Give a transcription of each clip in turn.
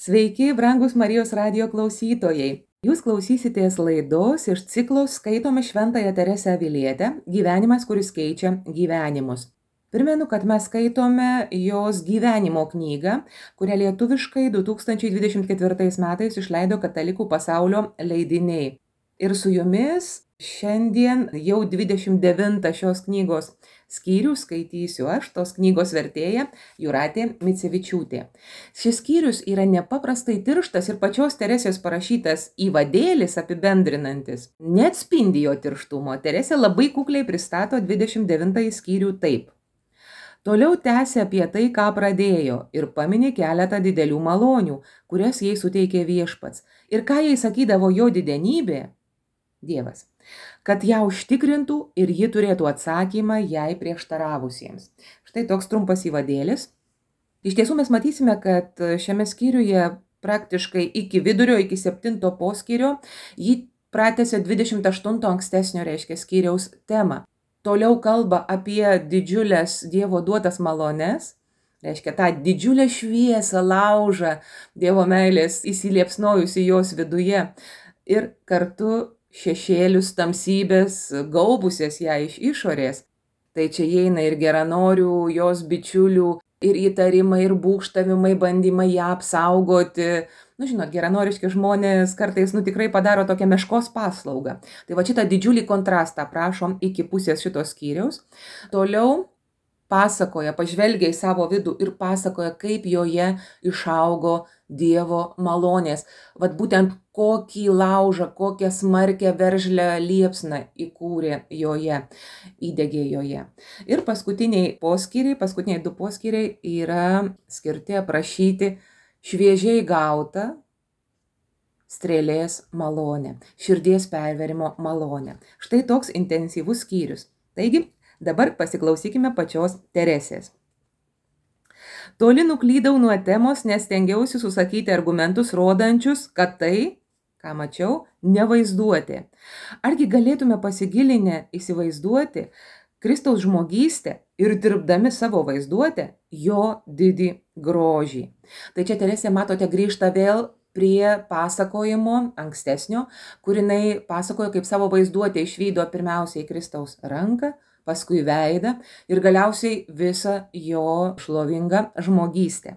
Sveiki, brangus Marijos radijo klausytojai. Jūs klausysitės laidos iš ciklo Skaitome Šventąją Teresę Avilietę – Gyvenimas, kuris keičia gyvenimus. Primenu, kad mes skaitome jos gyvenimo knygą, kurią lietuviškai 2024 metais išleido Katalikų pasaulio leidiniai. Ir su jumis šiandien jau 29 šios knygos skyrių skaitysiu aš, tos knygos vertėja Jūratė Micevičiūtė. Šis skyrius yra nepaprastai tirštas ir pačios Teresės parašytas įvadėlis apibendrinantis. Neatspindi jo tirštumo. Teresė labai kukliai pristato 29 skyrių taip. Toliau tęsia apie tai, ką pradėjo ir pamini keletą didelių malonių, kurias jai suteikė viešpats. Ir ką jai sakydavo jo didenybė, Dievas, kad ją užtikrintų ir ji turėtų atsakymą jai prieštaravusiems. Štai toks trumpas įvadėlis. Iš tiesų mes matysime, kad šiame skyriuje praktiškai iki vidurio, iki 7 poskyrio, ji pratęsia 28 ankstesnio skyriaus temą. Toliau kalba apie didžiulės Dievo duotas malones, reiškia tą didžiulę šviesą, laužą Dievo meilės įsiliepsnojusi jos viduje ir kartu šešėlius, tamsybės, gaubusias ją iš išorės. Tai čia įeina ir geranorių, jos bičiulių, ir įtarimai, ir būgštavimai, bandymai ją apsaugoti. Žinot, geranoriški žmonės kartais tikrai padaro tokią meškos paslaugą. Tai va šitą didžiulį kontrastą prašom iki pusės šitos skyriaus. Toliau pasakoja, pažvelgia į savo vidų ir pasakoja, kaip joje išaugo Dievo malonės. Vat būtent kokį laužą, kokią smarkę veržlę liepsną įkūrė joje, įdegė joje. Ir paskutiniai 2 poskyriai yra skirti aprašyti šviežiai gautą strėlės malonę, širdies perverimo malonę. Štai toks intensyvus skyrius. Taigi, dabar pasiklausykime pačios Teresės. Toli nuklydau nuo temos, nes stengiausi susakyti argumentus rodančius, kad tai, ką mačiau, ne vaizduotė. Argi galėtume pasigilinę įsivaizduoti Kristaus žmogystę ir dirbdami savo vaizduotę jo didį grožį. Tai čia Teresė, matote, grįžta vėl prie pasakojimo ankstesnio, kur jinai pasakojo, kaip savo vaizduotę išvydo pirmiausiai Kristaus ranką, paskui veidą ir galiausiai visą jo šlovingą žmogystę.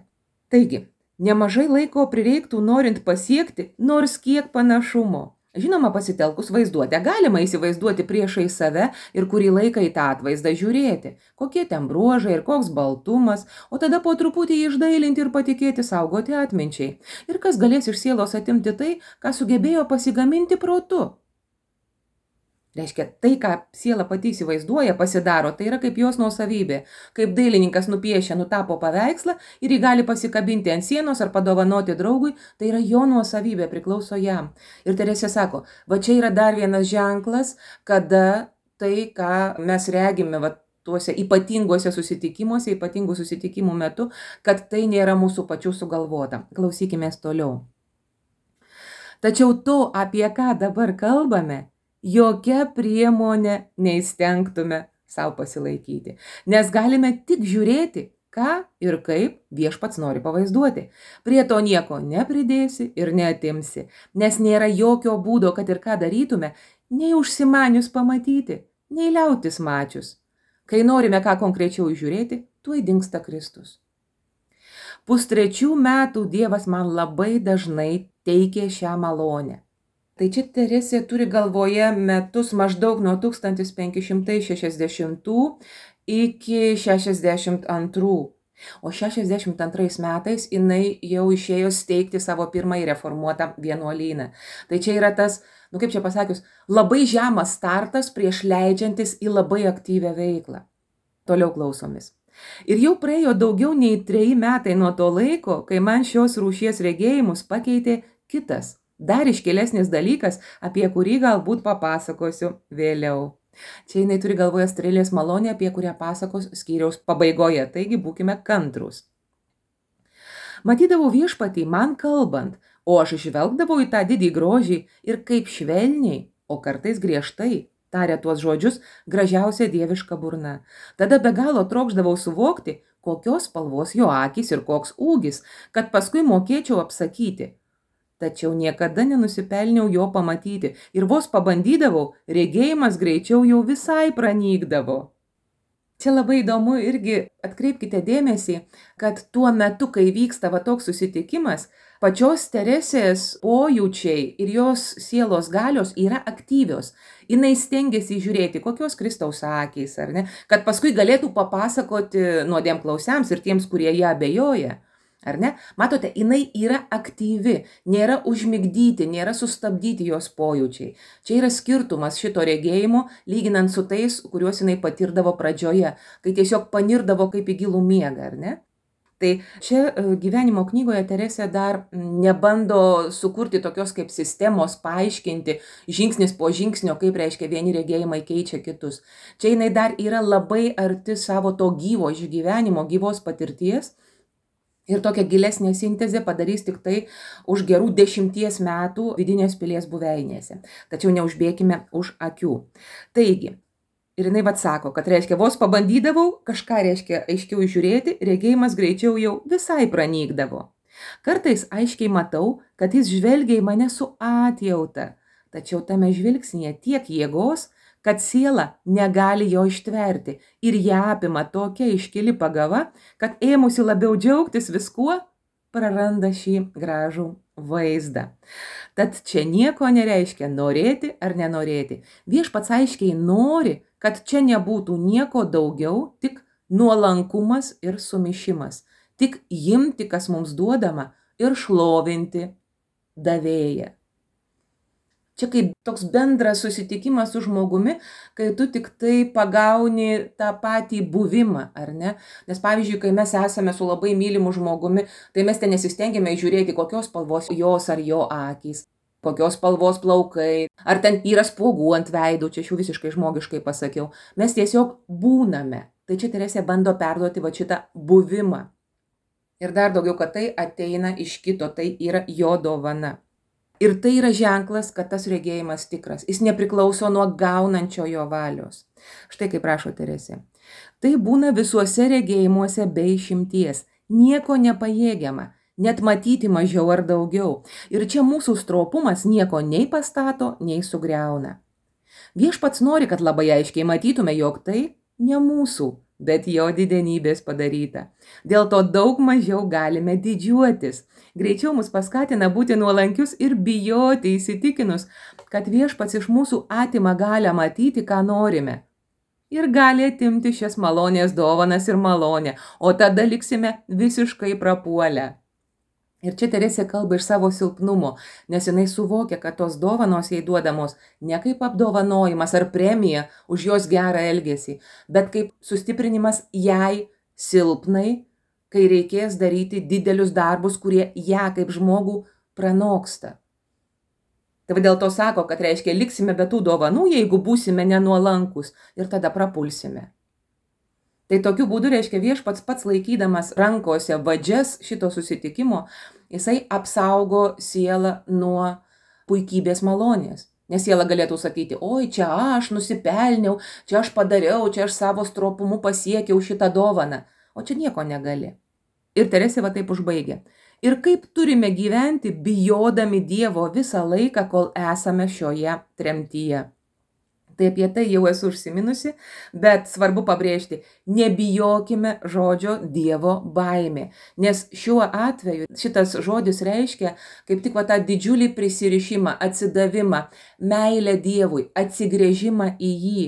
Taigi, nemažai laiko prireiktų norint pasiekti nors kiek panašumo. Žinoma, pasitelkus vaizduotę galima įsivaizduoti priešai save ir kurį laiką į tą atvaizdą žiūrėti, kokie ten bruožai ir koks baltumas, o tada po truputį jį išdailinti ir patikėti saugoti atminčiai. Ir kas galės iš sielos atimti tai, ką sugebėjo pasigaminti protu. Reiškia, tai, ką siela pati įsivaizduoja, pasidaro, tai yra kaip jos nuosavybė. Kaip dailininkas nupiešia, nutapo paveikslą ir jį gali pasikabinti ant sienos ar padovanoti draugui, tai yra jo nuosavybė, priklauso jam. Ir Teresė sako, va čia yra dar vienas ženklas, kada tai, ką mes regime tuose ypatingų susitikimų metu, kad tai nėra mūsų pačių sugalvota. Klausykimės toliau. Tačiau to, apie ką dabar kalbame, jokia priemonė neįstengtume savo pasilaikyti, nes galime tik žiūrėti, ką ir kaip viešpats nori pavaizduoti. Prie to nieko nepridėsi ir neatimsi, nes nėra jokio būdo, kad ir ką darytume, nei užsimanius pamatyti, nei liautis mačius. Kai norime ką konkrečiau žiūrėti, tuoj dingsta Kristus. 3 metų Dievas man labai dažnai teikė šią malonę. Tai čia Teresė turi galvoje metus maždaug nuo 1560 iki 62. O 62 metais jinai jau išėjo steigti savo pirmąjį reformuotą vienuolyną. Tai čia yra tas, kaip čia pasakius, labai žemas startas prieš leidžiantis į labai aktyvią veiklą. Toliau klausomis. Ir jau praėjo daugiau nei 3 metai nuo to laiko, kai man šios rūšies regėjimus pakeitė kitas, dar iškilesnis dalykas, apie kurį galbūt papasakosiu vėliau. Čia jinai turi galvoje strėlės malonę, apie kurią pasakos skyriaus pabaigoje, taigi būkime kantrūs. Matydavau viešpatį man kalbant, o aš žvelgdavau į tą didį grožį ir kaip švelniai, o kartais griežtai, tarė tuos žodžius gražiausia dieviška burna. Tada be galo trokšdavau suvokti, kokios spalvos jo akys ir koks ūgis, kad paskui mokėčiau apsakyti. Tačiau niekada nenusipelniau jo pamatyti ir vos pabandydavau, regėjimas greičiau jau visai pranykdavo. Čia labai įdomu irgi atkreipkite dėmesį, kad tuo metu, kai vyksta toks susitikimas, pačios Teresės pojūčiai ir jos sielos galios yra aktyvios. Jinai stengiasi žiūrėti, kokios Kristaus akys, ar ne, kad paskui galėtų papasakoti nuodėmklausiams ir tiems, kurie ją abejoja. Ar ne? Matote, jinai yra aktyvi, nėra užmigdyti, nėra sustabdyti jos pojūčiai. Čia yra skirtumas šito regėjimo, lyginant su tais, kuriuos jinai patirdavo pradžioje, kai tiesiog panirdavo kaip į gilų miegą, ar ne? Tai čia gyvenimo knygoje Teresė dar nebando sukurti tokios kaip sistemos, paaiškinti žingsnis po žingsnio, kaip reiškia vieni regėjimai keičia kitus. Čia jinai dar yra labai arti savo to gyvo išgyvenimo, gyvos patirties. Ir tokią gilesnę sintezę padarys tik tai už gerų 10 metų vidinės pilies buveinėse. Tačiau neužbėkime už akių. Taigi, ir jinai sako, kad reiškia, vos pabandydavau, kažką reiškia aiškiau žiūrėti, regėjimas greičiau jau visai pranykdavo. Kartais aiškiai matau, kad jis žvelgia į mane su atjauta, tačiau tame žvilgsnyje tiek jėgos, kad siela negali jo ištverti ir ją apima tokia iškili pagava, kad ėmusi labiau džiaugtis viskuo, praranda šį gražų vaizdą. Tad čia nieko nereiškia norėti ar nenorėti. Viešpats aiškiai nori, kad čia nebūtų nieko daugiau, tik nuolankumas ir sumišimas. Tik imti, kas mums duodama, ir šlovinti davėją. Čia kaip toks bendras susitikimas su žmogumi, kai tu tik tai pagauni tą patį buvimą, ar ne? Nes pavyzdžiui, kai mes esame su labai mylimu žmogumi, tai mes ten nesistengėme žiūrėti, kokios spalvos jos ar jo akys, kokios spalvos plaukai, ar ten yra spuogų ant veidų, čia aš jau visiškai žmogiškai pasakiau. Mes tiesiog būname. Tai čia Teresė bando perduoti šitą buvimą. Ir dar daugiau, kad tai ateina iš kito, tai yra jo dovana. Ir tai yra ženklas, kad tas regėjimas tikras. Jis nepriklauso nuo gaunančiojo valios. Štai kaip rašo Teresė. Tai būna visuose regėjimuose be išimties. Nieko nepajėgiama, net matyti mažiau ar daugiau. Ir čia mūsų stropumas nieko nei pastato, nei sugriauna. Viešpats nori, kad labai aiškiai matytume, jog tai ne mūsų, bet jo didenybės padaryta. Dėl to daug mažiau galime didžiuotis. Greičiau mus paskatina būti nuolankius ir bijoti, įsitikinus, kad viešpats iš mūsų atima galią matyti, ką norime. Ir gali atimti šias malonės dovanas ir malonę, o tada liksime visiškai prapuolę. Ir čia Teresė kalba iš savo silpnumo, nes jinai suvokia, kad tos dovanos jai duodamos ne kaip apdovanojimas ar premija už jos gerą elgesį, bet kaip sustiprinimas jai silpnai, kai reikės daryti didelius darbus, kurie ją kaip žmogų pranoksta. Tai dėl to sako, kad reiškia liksime be tų dovanų, jeigu būsime nenuolankus ir tada prapulsime. Tai tokiu būdu reiškia viešpats pats laikydamas rankose vadžias šito susitikimo, jisai apsaugo sielą nuo puikybės malonės. Nes siela galėtų sakyti, oi, čia aš nusipelniau, čia aš padariau, čia aš savo stropumu pasiekiau šitą dovaną, o čia nieko negali. Ir Teresė taip užbaigia. Ir kaip turime gyventi, bijodami Dievo visą laiką, kol esame šioje tremtyje. Tai apie tai jau esu užsiminusi, bet svarbu pabrėžti, nebijokime žodžio Dievo baimė. Nes šiuo atveju šitas žodis reiškia kaip tik tą didžiulį prisirišimą, atsidavimą, meilę Dievui, atsigręžimą į jį.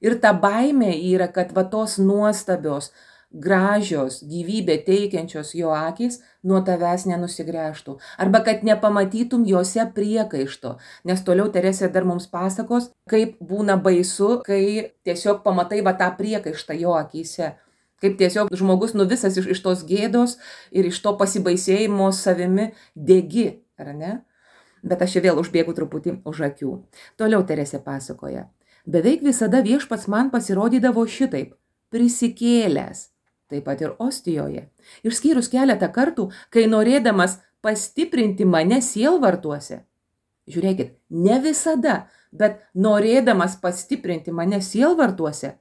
Ir ta baimė yra, kad tos nuostabios, gražios, gyvybę teikiančios jo akys nuo tavęs nenusigręžtų. Arba kad nepamatytum jose priekaišto. Nes toliau Teresė dar mums pasakos, kaip būna baisu, kai tiesiog pamatai tą priekaištą jo akyse. Kaip tiesiog žmogus visas iš tos gėdos ir iš to pasibaisėjimo savimi degi, ar ne? Bet aš čia vėl užbėgu truputį už akių. Toliau Teresė pasakoja. Beveik visada viešpats man pasirodydavo šitaip, prisikėlęs. Taip pat ir Ostijoje. Išskyrus keletą kartų, kai norėdamas pastiprinti mane sielvartuose. Žiūrėkit, ne visada, bet norėdamas pastiprinti mane sielvartuose,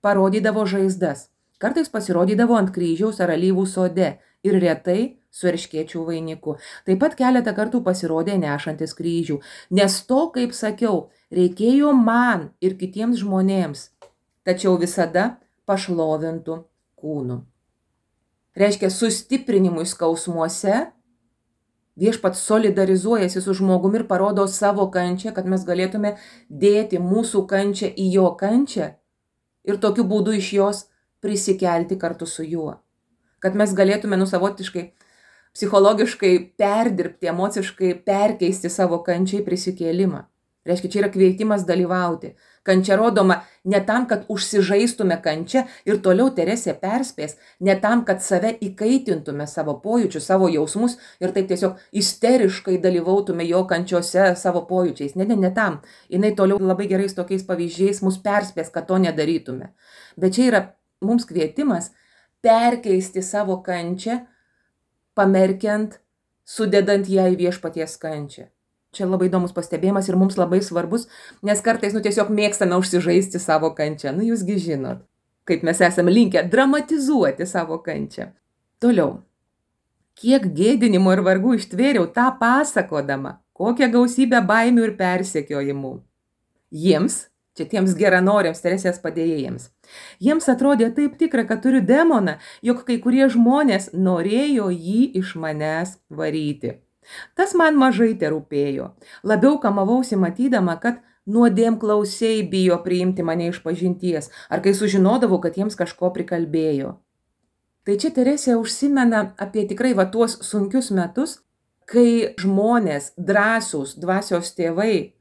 parodydavo žaizdas. Kartais pasirodydavo ant kryžiaus ar alyvų sode ir retai su erškėčių vainiku. Taip pat keletą kartų pasirodė nešantis kryžių, nes to, kaip sakiau, reikėjo man ir kitiems žmonėms, tačiau visada pašlovintų kūnų. Reiškia, sustiprinimui skausmuose viešpats solidarizuojasi su žmogumi ir parodo savo kančią, kad mes galėtume dėti mūsų kančią į jo kančią ir tokiu būdu iš jos prisikelti kartu su juo. Kad mes galėtume savotiškai, psichologiškai perdirbti, emociškai perkeisti savo kančią į prisikėlimą. Reiškia, čia yra kvietimas dalyvauti. Kančia rodoma ne tam, kad užsižaistume kančią ir toliau Teresė perspės, ne tam, kad save įkaitintume savo pojūčius, savo jausmus ir taip tiesiog isteriškai dalyvautume jo kančiose savo pojūčiais. Ne tam. Jinai toliau labai gerais tokiais pavyzdžiais mus perspės, kad to nedarytume. Bet čia yra mums kvietimas perkeisti savo kančią, pamerkiant, sudedant ją į viešpaties kančią. Čia labai įdomus pastebėjimas ir mums labai svarbus, nes kartais tiesiog mėgstame užsižaisti savo kančią. Jūsgi žinot, kaip mes esame linkę dramatizuoti savo kančią. Toliau. Kiek gėdinimo ir vargų ištvėriau tą pasakodama, kokią gausybę baimių ir persekiojimų. Jiems, čia tiems geranoriams Teresės padėjėjams, jiems atrodė taip tikra, kad turiu demoną, jog kai kurie žmonės norėjo jį iš manęs varyti. Tas man mažai terūpėjo. Labiau kamavausi matydama, kad nuodėmklausiai bijo priimti mane iš pažinties, ar kai sužinodavau, kad jiems kažko prikalbėjo. Tai čia Teresė užsimena apie tikrai tuos sunkius metus, kai žmonės, drąsūs dvasios tėvai,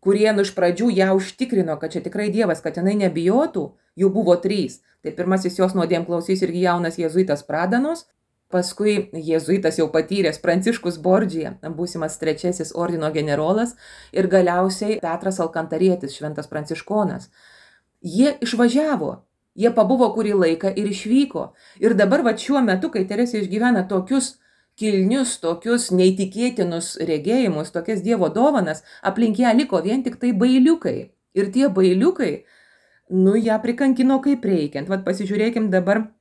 kurie iš pradžių ją užtikrino, kad čia tikrai Dievas, kad jinai nebijotų, jų buvo 3. Tai pirmasis jos nuodėmklausys irgi jaunas jėzuitas Pradanos, paskui jėzuitas jau patyręs Pranciškus Bordžija, būsimas 3. ordino generolas ir galiausiai Petras Alkantarietis, šventas pranciškonas. Jie išvažiavo, jie pabuvo kurį laiką ir išvyko. Ir dabar šiuo metu, kai Teresė išgyvena tokius kilnius, tokius neįtikėtinus regėjimus, tokias Dievo dovanas, aplink ją liko vien tik tai bailiukai. Ir tie bailiukai, ją prikankino kaip reikiant. Pasižiūrėkim dabar.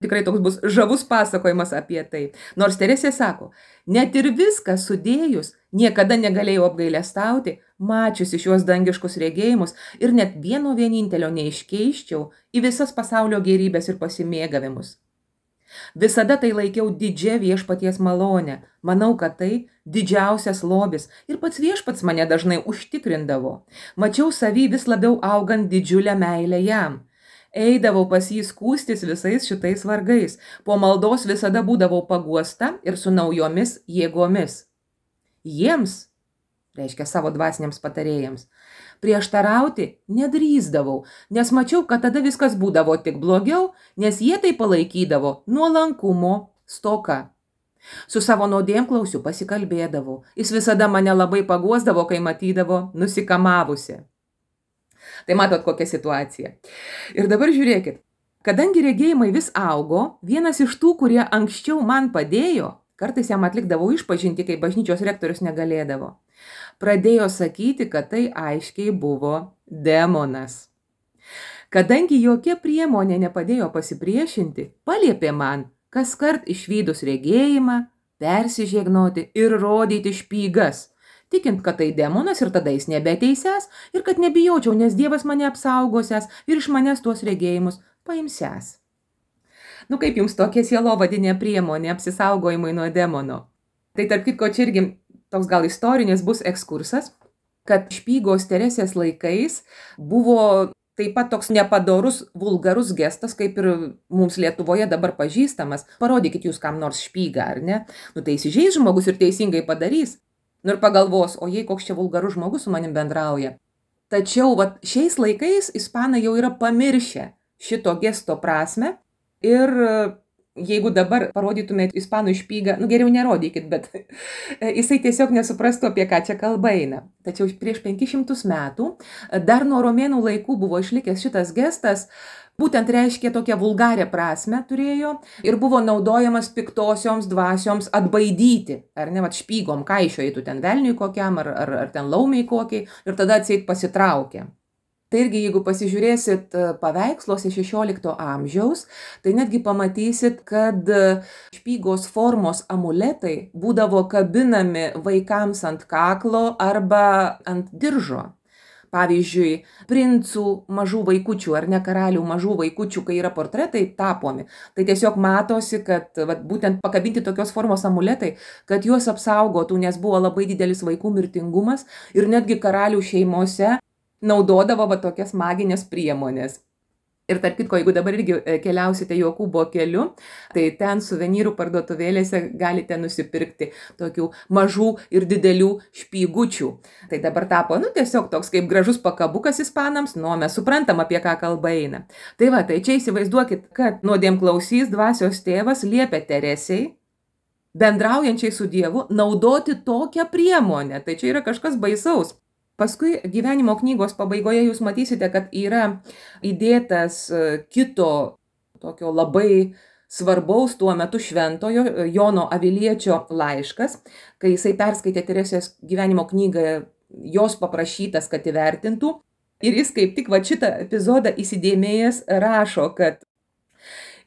Tikrai toks bus žavus pasakojimas apie tai. Nors Teresė sako, net ir viską sudėjus, niekada negalėjau apgailestauti, mačiusi šiuos dangiškus regėjimus ir net vieno vienintelio neiškeiščiau į visas pasaulio gėrybės ir pasimėgavimus. Visada tai laikiau didžia viešpaties malonė. Manau, kad tai didžiausias lobis ir pats viešpats mane dažnai užtikrindavo. Mačiau savį vis labiau augant didžiulę meilę jam. Eidavau pas jį skųstis visais šitais vargais. Po maldos visada būdavau paguosta ir su naujomis jėgomis. Jiems, reiškia savo dvasiniams patarėjams, prieštarauti nedrįsdavau, nes mačiau, kad tada viskas būdavo tik blogiau, nes jie tai palaikydavo nuolankumo stoka. Su savo nuodėmklausiu pasikalbėdavau. Jis visada mane labai paguosdavo, kai matydavo nusikamavusi. Tai matot kokią situaciją. Ir dabar žiūrėkit, kadangi regėjimai vis augo, vienas iš tų, kurie anksčiau man padėjo, kartais jam atlikdavau išpažinti, kai bažnyčios rektorius negalėdavo, pradėjo sakyti, kad tai aiškiai buvo demonas. Kadangi jokia priemonė nepadėjo pasipriešinti, paliepė man kaskart išvydus regėjimą, persižegnoti ir rodyti špygas, tikint, kad tai demonas ir tada jis nebeteisęs ir kad nebijočiau, nes Dievas mane apsaugosiąs ir iš manęs tuos regėjimus paimsęs. Kaip jums tokia sielovadinė priemonė apsisaugojimui nuo demono? Tai tarp kitko čia irgi toks gal istorinis bus ekskursas, kad špygos Teresės laikais buvo taip pat toks nepadorus, vulgarus gestas, kaip ir mums Lietuvoje dabar pažįstamas. Parodykit jūs kam nors špygą, ar ne? Tai įsižeis žmogus ir teisingai padarys. Ir pagalvos, o jei koks čia vulgarus žmogus su manim bendrauja. Tačiau šiais laikais ispanai jau yra pamiršę šito gesto prasme ir jeigu dabar parodytumėt ispanų špygą, geriau nerodykit, bet jisai tiesiog nesuprastų, apie ką čia kalba eina. Tačiau prieš 500 metų dar nuo romėnų laikų buvo išlikęs šitas gestas, būtent reiškia tokią vulgarę prasme turėjo ir buvo naudojamas piktosioms dvasioms atbaidyti, ar ne, špygom kaišioji tu ten velniui kokiam ar ten laumiai kokiai ir tada atseit pasitraukė. Tai irgi, jeigu pasižiūrėsit paveiksluose 16 amžiaus, tai netgi pamatysit, kad špygos formos amuletai būdavo kabinami vaikams ant kaklo arba ant diržo. Pavyzdžiui, princų mažų vaikučių ar ne karalių mažų vaikučių, kai yra portretai tapomi, tai tiesiog matosi, kad būtent pakabinti tokios formos amuletai, kad juos apsaugotų, nes buvo labai didelis vaikų mirtingumas ir netgi karalių šeimose naudodavo tokias maginės priemonės. Ir tarp kitko, jeigu dabar irgi keliausite Jokūbo keliu, tai ten suvenyrų parduotuvėlėse galite nusipirkti tokių mažų ir didelių špygučių. Tai dabar tapo, tiesiog toks kaip gražus pakabukas ispanams, mes suprantam, apie ką kalba eina. Tai čia įsivaizduokit, kad nuodėmklausys dvasios tėvas liepia Teresei, bendraujančiai su Dievu, naudoti tokią priemonę. Tai čia yra kažkas baisaus. Paskui gyvenimo knygos pabaigoje jūs matysite, kad yra įdėtas kito tokio labai svarbaus tuo metu šventojo Jono Aviliečio laiškas, kai jisai perskaitė Teresės gyvenimo knygą, jos paprašytas, kad įvertintų. Ir jis kaip tik šitą epizodą įsidėmėjęs rašo, kad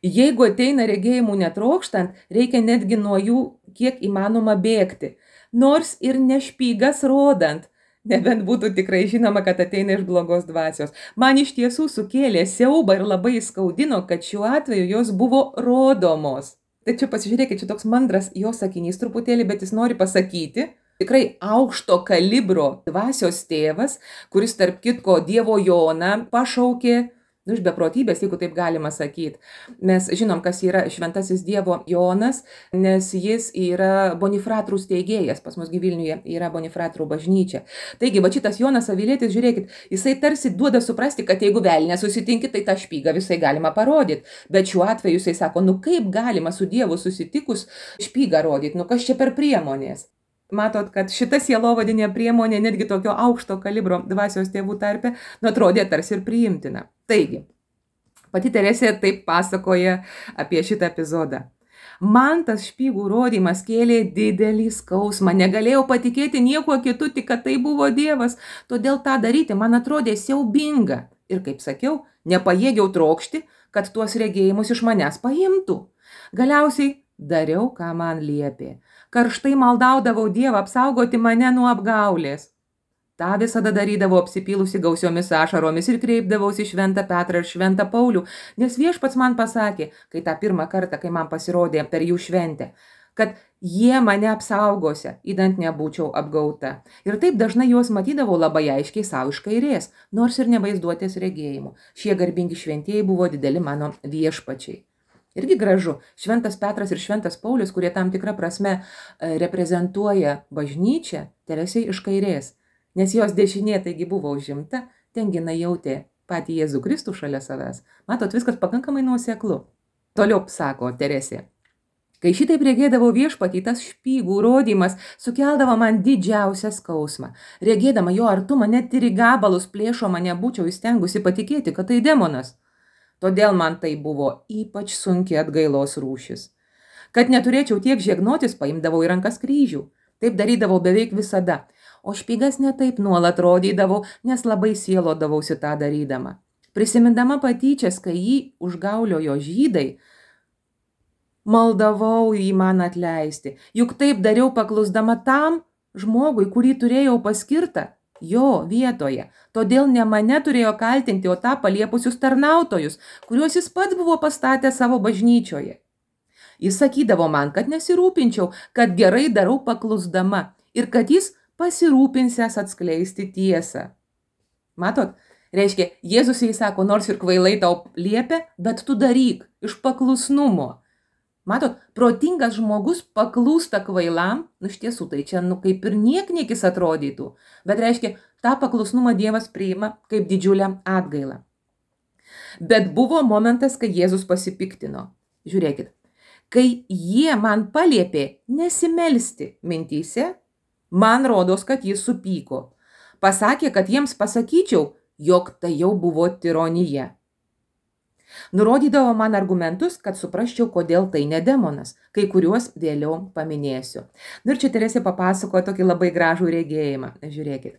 jeigu ateina regėjimų netrokštant, reikia netgi nuo jų kiek įmanoma bėgti, nors ir ne špygas rodant, nebent būtų tikrai žinoma, kad ateina iš blogos dvasios. Man iš tiesų sukėlė siaubą ir labai skaudino, kad šiuo atveju jos buvo rodomos. Tačiau pasižiūrėkit, čia toks mandras jo sakinys truputėlį, bet jis nori pasakyti, tikrai aukšto kalibro dvasios tėvas, kuris tarp kitko Dievo Joną pašaukė, iš beprotybės, jeigu taip galima sakyti. Mes žinom, kas yra šventasis Dievo Jonas, nes jis yra Bonifratrų steigėjas, pas mus Vilniuje yra Bonifratrų bažnyčia. Taigi, šitas Jonas Avilietis, žiūrėkit, jisai tarsi duoda suprasti, kad jeigu velnę susitinki, tai tą špygą visai galima parodyti. Bet šiuo atveju jisai sako, kaip galima su Dievu susitikus špygą rodyti, kas čia per priemonės. Matot, kad šita sielovadinė priemonė netgi tokio aukšto kalibro dvasios tėvų tarpe atrodė tarsi ir priimtina. Taigi, pati Teresė taip pasakoja apie šitą epizodą. Man tas špygų rodymas kėlė didelį skausmą, negalėjau patikėti niekuo kitu, tik kad tai buvo Dievas, todėl tą daryti man atrodė siaubinga. Ir kaip sakiau, nepajėgiau trokšti, kad tuos regėjimus iš manęs paimtų. Galiausiai dariau, ką man liepė. Karštai maldaudavau Dievą apsaugoti mane nuo apgaulės. Ta visada darydavau apsipylusi gausiomis ašaromis ir kreipdavausi šventą Petrą ir šventą Paulių, nes viešpats man pasakė, kai tą pirmą kartą, kai man pasirodė per jų šventę, kad jie mane apsaugose, idant nebūčiau apgauta. Ir taip dažnai juos matydavau labai aiškiai savo iš kairės, nors ir nevaizduotės regėjimų. Šie garbingi šventieji buvo dideli mano viešpačiai. Irgi gražu, šventas Petras ir šventas Paulius, kurie tam tikrą prasme reprezentuoja bažnyčią, Teresei iš kairės, nes jos dešinė taigi buvo užimta, tengina jautė patį Jėzų Kristų šalia savęs. Matot, viskas pakankamai nuoseklu. Toliau sako Teresė. Kai šitaip regėdavau viešpatį, tas špygų rodymas sukeldavo man didžiausią skausmą. Regėdama jo artumą, net ir į gabalus plėšo mane būčiau įstengusi patikėti, kad tai demonas. Todėl man tai buvo ypač sunki atgailos rūšis. Kad neturėčiau tiek žegnotis, paimdavau į rankas kryžių. Taip darydavau beveik visada. O špygas netaip nuolat rodydavau, nes labai sielodavausi tą darydama. Prisimindama patyčias, kai jį užgauliojo žydai, maldavau jį man atleisti. Juk taip dariau paklusdama tam žmogui, kurį turėjau paskirtą jo vietoje. Todėl ne mane turėjo kaltinti, o tą paliepusius tarnautojus, kuriuos jis pats buvo pastatęs savo bažnyčioje. Jis sakydavo man, kad nesirūpinčiau, kad gerai darau paklusdama ir kad jis pasirūpinsęs atskleisti tiesą. Matot, reiškia, Jėzus jai sako, nors ir kvailai tau liepia, bet tu daryk iš paklusnumo. Matot, protingas žmogus paklūsta kvailam, iš tiesų tai čia kaip ir niekniekis atrodytų, bet reiškia, tą paklusnumą Dievas priima kaip didžiulę atgailą. Bet buvo momentas, kai Jėzus pasipiktino. Žiūrėkit, kai jie man paliepė nesimelsti mintyse, man rodos, kad jis supyko. Pasakė, kad jiems pasakyčiau, jog tai jau buvo tironija. Nurodydavo man argumentus, kad suprasčiau, kodėl tai ne demonas, kai kuriuos vėliau paminėsiu. Ir čia Teresė papasakojo tokį labai gražų regėjimą. Žiūrėkit.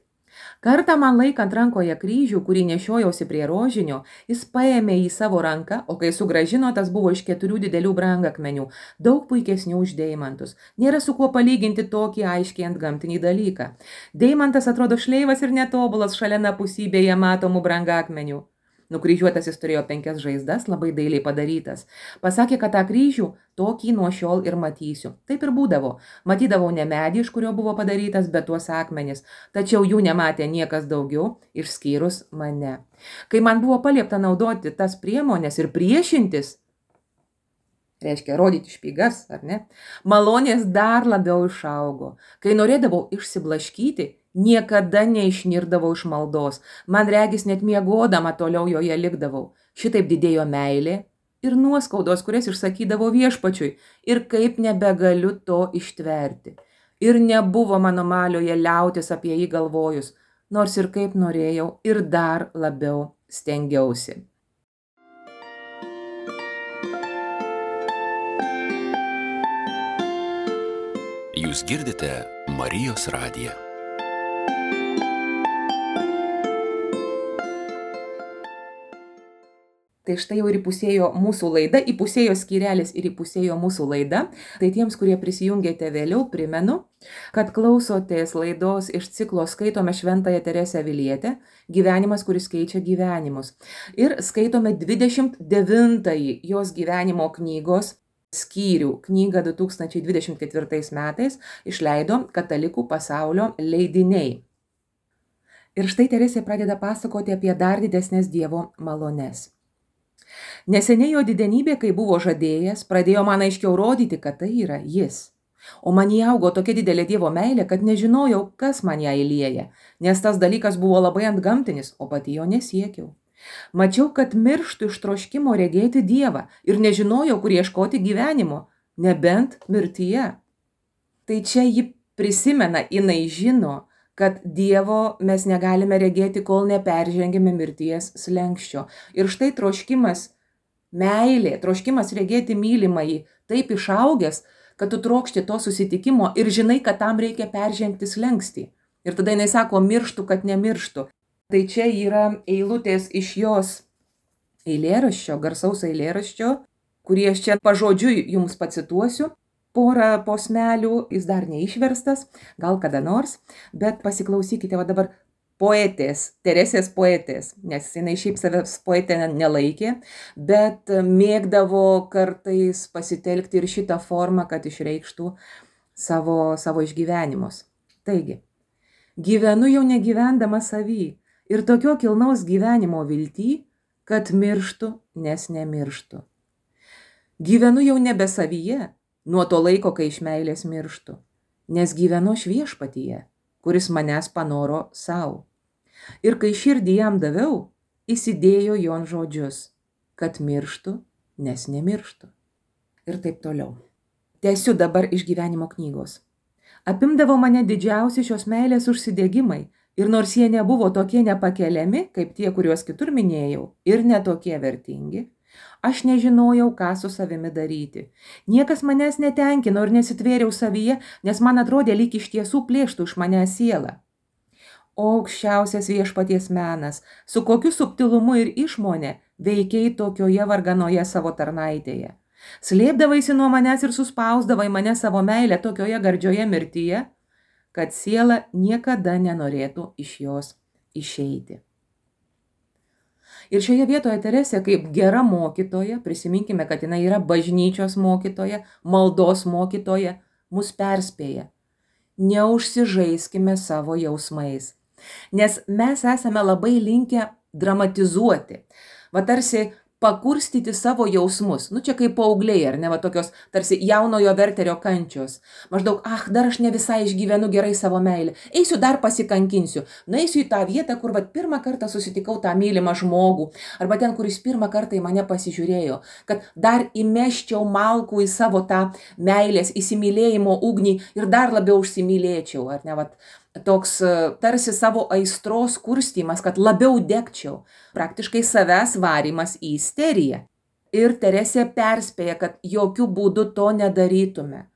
Kartą man laikant rankoje kryžių, kurį nešiojausi prie rožinio, jis paėmė į savo ranką, o kai sugrąžino, tas buvo iš 4 didelių brangakmenių, daug puikesnių už deimantus. Nėra su kuo palyginti tokį aiškiai antgamtinį dalyką. Deimantas atrodo šleivas ir netobulas šalia napusybėje matomų brangakmenių. Nukryžiuotas jis turėjo 5 žaizdas, labai dailiai padarytas. Pasakė, kad tą kryžių tokį nuo šiol ir matysiu. Taip ir būdavo. Matydavau ne medį, iš kurio buvo padarytas, bet tuos akmenis. Tačiau jų nematė niekas daugiau, išskyrus mane. Kai man buvo paliepta naudoti tas priemonės ir priešintis, reiškia rodyti špygas, ar ne, malonės dar labiau išaugo. Kai norėdavau išsiblaškyti, niekada neišnirdavau iš maldos. Man regis net miegodama toliau joje likdavau. Šitaip didėjo meilė ir nuoskaudos, kurias išsakydavo viešpačiui. Ir kaip nebegaliu to ištverti. Ir nebuvo mano malioje liautis apie jį galvojus, nors ir kaip norėjau ir dar labiau stengiausi. Jūs girdite Marijos radiją. Tai štai jau ir įpusėjo mūsų laida, įpusėjo skyrelis ir įpusėjo mūsų laida. Tai tiems, kurie prisijungėte vėliau, primenu, kad klausotės laidos iš ciklo Skaitome Šventąją Teresę Avilietę, gyvenimas, kuris keičia gyvenimus. Ir skaitome 29-ąjį jos gyvenimo knygos skyrių. Knygą 2024 metais išleido Katalikų pasaulio leidiniai. Ir štai Teresė pradeda pasakoti apie dar didesnės Dievo malones. Neseniai jo didenybė, kai buvo žadėjęs, pradėjo man aiškiau rodyti, kad tai yra jis. O man įaugo tokia didelė Dievo meilė, kad nežinojau, kas man ją įlieja, nes tas dalykas buvo labai antgamtinis, o pati jo nesiekiau. Mačiau, kad mirštu iš troškimo regėti Dievą ir nežinojau, kur ieškoti gyvenimo, nebent mirtyje. Tai čia ji prisimena, jinai žino, kad Dievo mes negalime regėti, kol neperžengėme mirties slenksčio. Ir štai troškimas meilė, troškimas regėti mylimąjį taip išaugęs, kad tu trokšti to susitikimo ir žinai, kad tam reikia peržengti slenkstį. Ir tada jinai sako, mirštu, kad nemirštu. Tai čia yra eilutės iš jos eilėraščio, garsaus eilėraščio, kurį aš čia pažodžiui jums pacituosiu. Porą posmelių, jis dar neišverstas, gal kada nors, bet pasiklausykite va dabar poetės, Teresės poetės, nes jinai šiaip savęs poetė nelaikė, bet mėgdavo kartais pasitelkti ir šitą formą, kad išreikštų savo išgyvenimus. Taigi, gyvenu jau negyvendama savy ir tokio kilnaus gyvenimo vilty, kad mirštu, nes nemirštu. Gyvenu jau nebe savyje, nuo to laiko, kai iš meilės mirštu, nes gyvenu aš viešpatyje, kuris manęs panoro sau. Ir kai širdį jam daviau, įsidėjo jon žodžius, kad mirštu, nes nemirštu. Ir taip toliau. Tęsiu dabar iš gyvenimo knygos. Apimdavo mane didžiausi šios meilės užsidegimai, ir nors jie nebuvo tokie nepakeliami, kaip tie, kuriuos kitur minėjau, ir netokie vertingi, aš nežinojau, ką su savimi daryti. Niekas manęs netenkino ir nesitvėriau savyje, nes man atrodė, lyg iš tiesų plėštų iš manęs sielą. O aukščiausias viešpaties menas, su kokiu subtilumu ir išmonė veikiai tokioje varganoje savo tarnaitėje. Slėpdavaisi nuo manęs ir suspausdavai mane savo meilę tokioje gardžioje mirtyje, kad siela niekada nenorėtų iš jos išeiti. Ir šioje vietoje Teresė kaip gera mokytoja, prisiminkime, kad jinai yra bažnyčios mokytoja, maldos mokytoja, mus perspėja. Neužsižaiskime savo jausmais, nes mes esame labai linkę dramatizuoti, va tarsi pakurstyti savo jausmus. Čia kaip paaugliai, ar ne, va tokios tarsi jaunojo Verterio kančios. Maždaug, dar aš ne visai išgyvenu gerai savo meilę. Eisiu dar pasikankinsiu. Nueisiu į tą vietą, kur pirmą kartą susitikau tą mylimą žmogų. Arba ten, kuris pirmą kartą į mane pasižiūrėjo. Kad dar įmeščiau malkų į savo tą meilės, įsimylėjimo ugnį ir dar labiau užsimylėčiau. Ar ne, toks tarsi savo aistros kurstymas, kad labiau degčiau, praktiškai savęs varymas į isteriją. Ir Teresė perspėja, kad jokių būdų to nedarytume.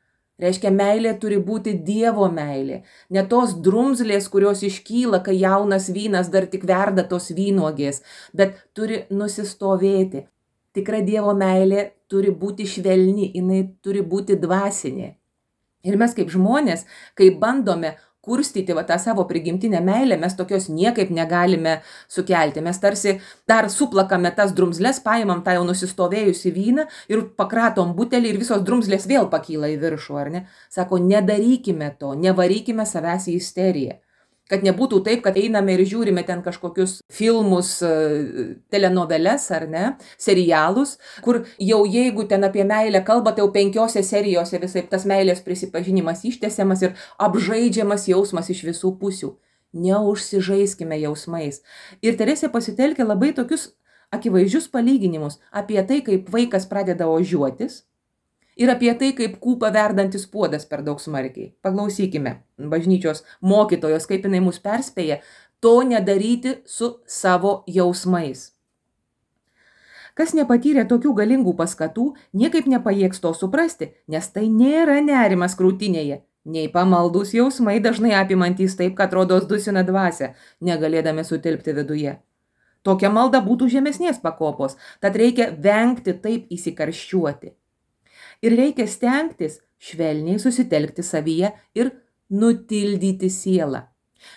Reiškia, meilė turi būti Dievo meilė. Ne tos drumzlės, kurios iškyla, kai jaunas vynas dar tik verda tos vynuogės, bet turi nusistovėti. Tikra Dievo meilė turi būti švelni, jinai turi būti dvasinė. Ir mes kaip žmonės, kai bandome kurstyti tą savo prigimtinę meilę, mes tokios niekaip negalime sukelti. Mes tarsi dar suplakame tas drumzlės, paimam tą jau nusistovėjusi vyną ir pakratom butelį ir visos drumzlės vėl pakyla į viršų, ar ne? Sako, nedarykime to, nevarykime savęs į isteriją. Kad nebūtų taip, kad einame ir žiūrime ten kažkokius filmus, telenoveles ar ne, serialus, kur jau jeigu ten apie meilę kalba, tai jau 5 serijose visai tas meilės prisipažinimas ištęsiamas ir apžaidžiamas jausmas iš visų pusių. Neužsižaiskime jausmais. Ir Teresė pasitelkė labai tokius akivaizdžius palyginimus apie tai, kaip vaikas pradeda ožiuotis, ir apie tai, kaip kūpa verdantis puodas per daug smarkiai. Paklausykime bažnyčios mokytojos, kaip jinai mus perspėja, to nedaryti su savo jausmais. Kas nepatyrė tokių galingų paskatų, niekaip nepajėgs to suprasti, nes tai nėra nerimas krūtinėje, nei pamaldus jausmai dažnai apimantys taip, kad rodos dusina dvasią, negalėdami sutilpti viduje. Tokia malda būtų žemesnės pakopos, tad reikia vengti taip įsikarščiuoti. Ir reikia stengtis švelniai susitelkti savyje ir nutildyti sielą.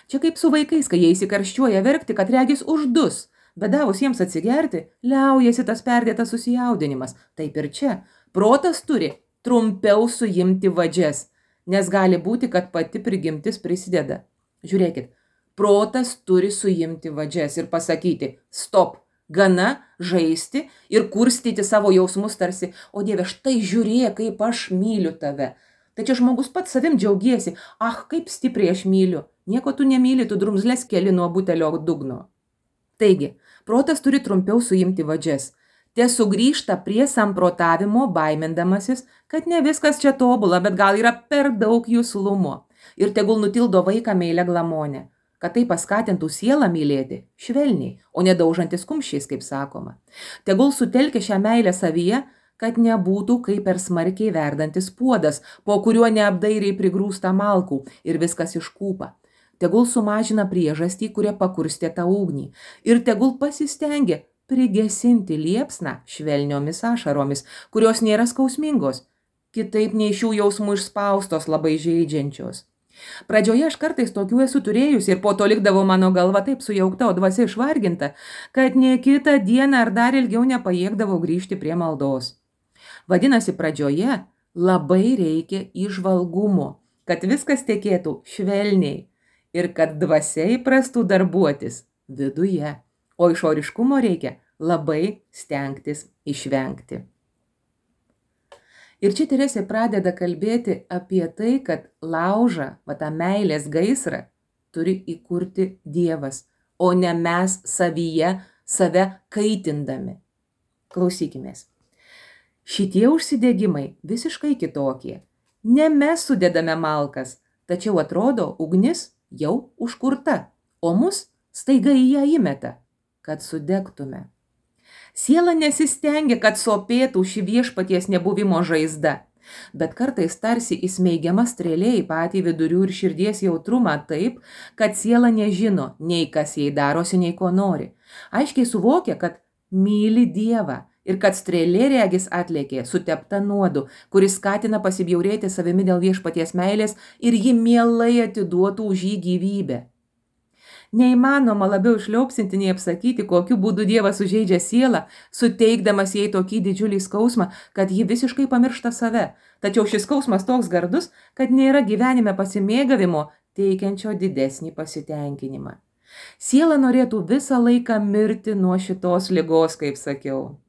Čia kaip su vaikais, kai jie įsikarščiuoja verkti, kad regis uždus, bet davus jiems atsigerti, liaujasi tas perdėtas susijaudinimas. Taip ir čia. Protas turi trumpiau suimti vadžias, nes gali būti, kad pati prigimtis prisideda. Žiūrėkit, protas turi suimti vadžias ir pasakyti, stop. Gana žaisti ir kurstyti savo jausmus tarsi, o Dieve, štai žiūrėk, kaip aš myliu tave. Tačiau žmogus pats savim džiaugiesi, kaip stipriai aš myliu. Nieko tu nemyli, tu drumzlės keli nuo butelio dugno. Taigi, protas turi trumpiau suimti vadžias. Te sugrįžta prie samprotavimo, baimindamasis, kad ne viskas čia tobula, bet gal yra per daug juslumo. Ir tegul nutildo vaiką meilę glamonę. Kad tai paskatintų sielą mylėti švelniai, o nedaužantis kumščiais, kaip sakoma. Tegul sutelkia šią meilę savyje, kad nebūtų kaip per smarkiai verdantis puodas, po kuriuo neapdairiai prigrūsta malkų ir viskas iškūpa. Tegul sumažina priežastį, kurie pakurstė tą ugnį. Ir tegul pasistengia prigesinti liepsną švelniomis ašaromis, kurios nėra skausmingos, kitaip nei šių jausmų išspaustos labai žeidžiančios. Pradžioje aš kartais tokių esu turėjusi ir po to likdavo mano galva taip sujaukta, o dvasia išvarginta, kad ne kitą dieną ar dar ilgiau nepajėgdavau grįžti prie maldos. Vadinasi, pradžioje labai reikia įžvalgumo, kad viskas tekėtų švelniai ir kad dvasia įprastų darbuotis viduje, o išoriškumo reikia labai stengtis išvengti. Ir čia Teresė pradeda kalbėti apie tai, kad laužą, tą meilės gaisrą, turi įkurti Dievas, o ne mes savyje save kaitindami. Klausykimės. Šitie užsidegimai visiškai kitokie. Ne mes sudedame malkas, tačiau atrodo, ugnis jau užkurta, o mus staiga į ją įmeta, kad sudegtume. Siela nesistengia, kad sopėtų ši viešpaties nebuvimo žaizda, bet kartais tarsi įsmeigiama strėlė į patį vidurių ir širdies jautrumą taip, kad siela nežino nei kas jai darosi, nei ko nori. Aiškiai suvokia, kad myli Dievą ir kad strėlė regis atlėkė sutepta nuodu, kuris skatina pasibjaurėti savimi dėl viešpaties meilės ir ji mielai atiduotų už jį gyvybę. Neįmanoma labiau išliaupsinti, nei apsakyti, kokiu būdu Dievas sužeidžia sielą, suteikdamas jai tokį didžiulį skausmą, kad ji visiškai pamiršta save. Tačiau šis skausmas toks gardus, kad nėra gyvenime pasimėgavimo, teikiančio didesnį pasitenkinimą. Siela norėtų visą laiką mirti nuo šitos ligos, kaip sakiau.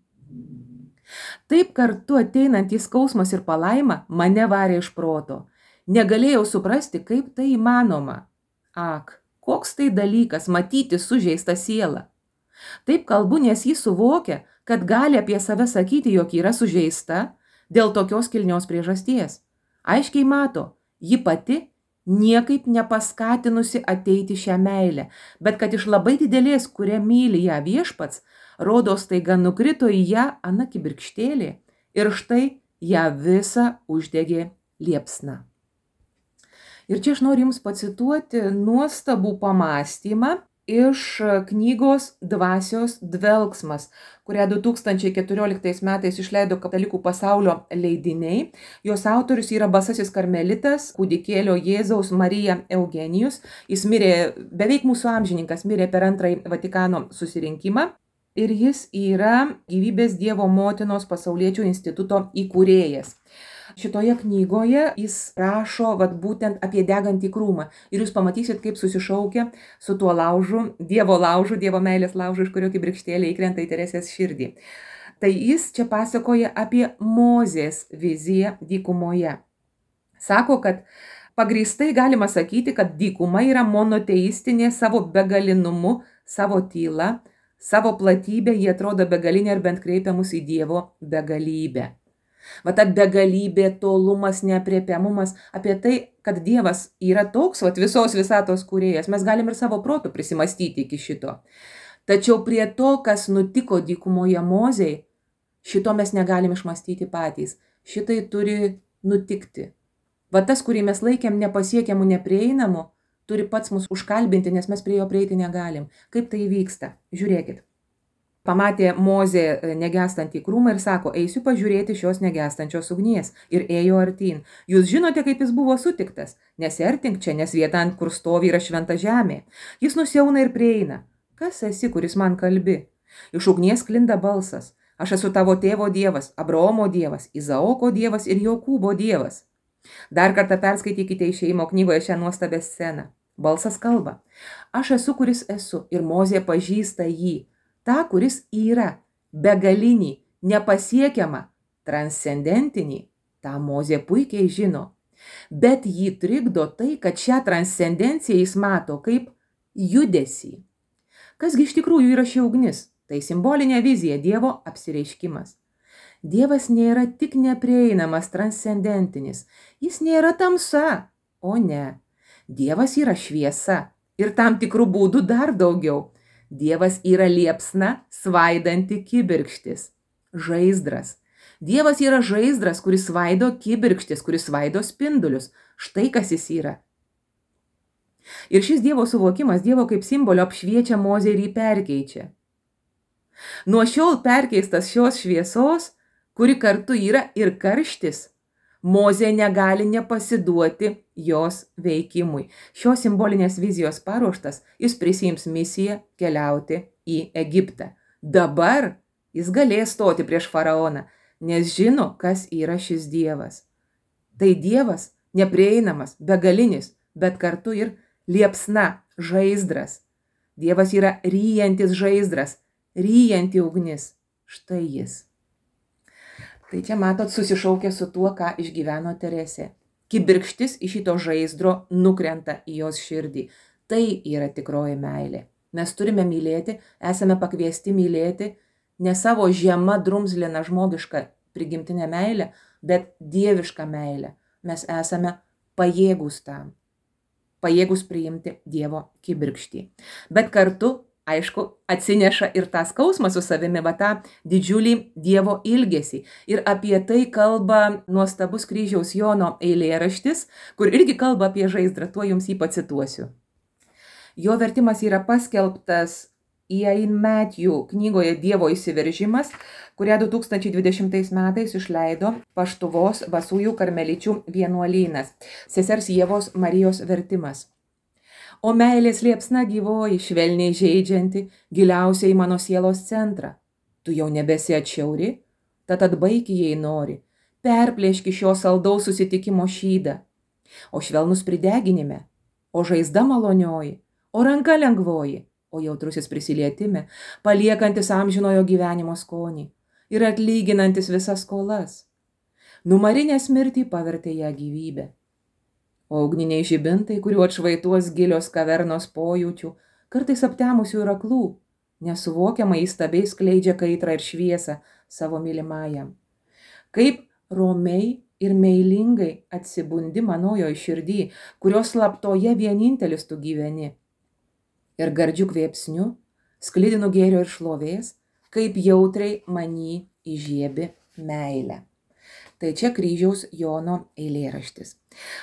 Taip kartu ateinantys skausmas ir palaima mane varė iš proto. Negalėjau suprasti, kaip tai įmanoma. Koks tai dalykas matyti sužeistą sielą. Taip kalbu, nes jis suvokia, kad gali apie save sakyti, jog yra sužeista dėl tokios kilnios priežasties. Aiškiai mato, ji pati niekaip nepaskatinusi ateiti šią meilę, bet kad iš labai didelės, kurią myli ją viešpats, rodos staiga nukrito į ją ana kibirkštėlė ir štai ją visą uždegė liepsna. Ir čia aš noriu Jums pacituoti nuostabų pamąstymą iš knygos Dvasios dvelksmas, kurią 2014 metais išleido Katalikų pasaulio leidiniai. Jos autorius yra Basasis karmelitas, kūdikėlio Jėzaus Marija Eugenijus. Jis mirė, beveik mūsų amžininkas, mirė per antrąjį Vatikano susirinkimą. Ir jis yra Gyvybės Dievo motinos pasauliečių instituto įkūrėjas. Šitoje knygoje jis rašo būtent apie degantį krūmą. Ir jūs pamatysit, kaip susišaukia su tuo laužu, Dievo meilės laužu, iš kurio kibirkštėlė įkrenta į Teresės širdį. Tai jis čia pasakoja apie Mozės viziją dykumoje. Sako, kad pagrįstai galima sakyti, kad dykuma yra monoteistinė savo begalinumu, savo tyla, savo platybė, jie atrodo begalinė ir bent kreipia mus į Dievo begalybę. Ta begalybė, tolumas, neaprėpiamumas, apie tai, kad Dievas yra toks, visos visatos kūrėjas, mes galim ir savo protu prisimastyti iki šito. Tačiau prie to, kas nutiko dykumoje Mozei, šito mes negalim išmastyti patys. Šitai turi nutikti. Tas, kurį mes laikėm nepasiekiamu, neprieinamu, turi pats mus užkalbinti, nes mes prie jo prieiti negalim. Kaip tai vyksta? Žiūrėkit. Pamatė Mozė negestantį krūmą ir sako, eisiu pažiūrėti šios negestančios ugnies. Ir ėjo artyn. Jūs žinote, kaip jis buvo sutiktas. Nesiartink čia, nes vieta, ant kur stovi, yra šventa žemė. Jis nusiauna ir prieina. Kas esi, kuris man kalbi? Iš ugnies sklinda balsas. Aš esu tavo tėvo Dievas, Abraomo Dievas, Izaoko Dievas ir Jokūbo Dievas. Dar kartą perskaitykite Išėjimo knygoje šią nuostabią sceną. Balsas kalba. Aš esu, kuris esu. Ir Mozė pažįsta jį. Ta, kuris yra begalinį, nepasiekiamą, transcendentinį, tą Mozė puikiai žino. Bet jį trikdo tai, kad šią transcendenciją jis mato kaip judesį. Kasgi iš tikrųjų yra ši ugnis? Tai simbolinė vizija, Dievo apsireiškimas. Dievas nėra tik neprieinamas, transcendentinis. Jis nėra tamsa, o ne. Dievas yra šviesa ir tam tikrų būdų dar daugiau. Dievas yra liepsna, svaidanti kibirkštis, žaizdras. Dievas yra žaizdras, kuris svaido kibirkštis, kuris svaido spindulius. Štai kas jis yra. Ir šis Dievo suvokimas, Dievo kaip simbolio apšviečia Mozę ir jį perkeičia. Nuo šiol perkeistas šios šviesos, kuri kartu yra ir karštis, Mozė negali nepasiduoti jos veikimui. Šios simbolinės vizijos paruoštas, jis prisiims misiją keliauti į Egiptą. Dabar jis galės stoti prieš faraoną, nes žino, kas yra šis Dievas. Tai Dievas neprieinamas, begalinis, bet kartu ir liepsna, žaizdras. Dievas yra ryjantis žaizdras, ryjanti ugnis. Štai jis. Tai čia matot susišaukia su tuo, ką išgyveno Teresė. Kibirkštis iš šito žaizdro nukrenta į jos širdį. Tai yra tikroji meilė. Mes turime mylėti, esame pakviesti mylėti ne savo žema, drumzlina žmogišką prigimtinę meilę, bet dievišką meilę. Mes esame pajėgus tam. Pajėgus priimti Dievo kibirkštį. Bet kartu, aišku, atsineša ir tą skausmą su savimi, tą didžiulį Dievo ilgesį. Ir apie tai kalba nuostabus Kryžiaus Jono eilėraštis, kur irgi kalba apie žaizdrą, tuo jums jį pacituosiu. Jo vertimas yra paskelbtas Ian Matthew knygoje Dievo įsiveržimas, kurią 2020 metais išleido Paštuvos Basųjų karmeličių vienuolynas, sesers Ievos Marijos vertimas. O meilės liepsna gyvoji, švelniai žeidžianti, giliausiai mano sielos centrą. Tu jau nebesi atšiauri, tad atbaiki jei nori, perplėški šio saldaus susitikimo šydą. O švelnus prideginime, o žaizda malonioji, o ranka lengvoji, o jautrusis prisilietime, paliekantis amžinojo gyvenimo skonį ir atlyginantis visas skolas. Numarinės mirtį pavertė ją gyvybę. O ugniniai žibintai, kuriuo atšvaituos gilios kavernos pojūčių, kartais aptemusių ir aklų, nesuvokiamai įstabiai skleidžia kaitrą ir šviesą savo mylimajam. Kaip romiai ir meilingai atsibundi manojoj širdį, kurios slaptoje vienintelis tu gyveni. Ir gardžiu kvėpsniu, sklidinu gėrio ir šlovės, kaip jautriai many įžiebi meilę. Tai čia kryžiaus Jono eilėraštis.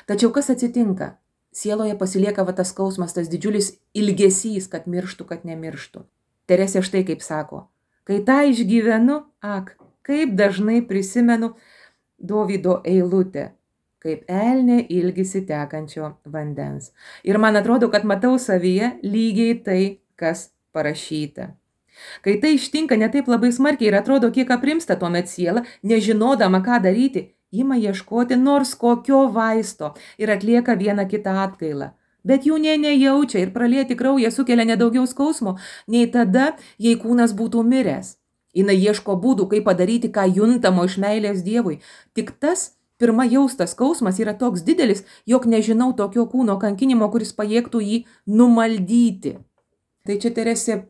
Tačiau kas atsitinka? Sieloje pasilieka va tas skausmas, tas didžiulis ilgesys, kad mirštų, kad nemirštų. Teresė štai kaip sako, kai tą išgyvenu, kaip dažnai prisimenu Dovydo eilutę, kaip elnė ilgisi tekančio vandens. Ir man atrodo, kad matau savyje lygiai tai, kas parašyta. Kai tai ištinka ne taip labai smarkiai ir atrodo, kiek aprimsta tuomet siela, nežinodama, ką daryti, ima ieškoti nors kokio vaisto ir atlieka vieną kitą atgailą. Bet jų nejaučia ir pralieti kraują sukelia nedaugiau skausmo, nei tada, jei kūnas būtų miręs. Jis ieško būdų, kaip padaryti, ką juntamo iš meilės Dievui. Tik tas pirma jaustas skausmas yra toks didelis, jog nežinau tokio kūno kankinimo, kuris pajėgtų jį numaldyti. Tai čia Teresė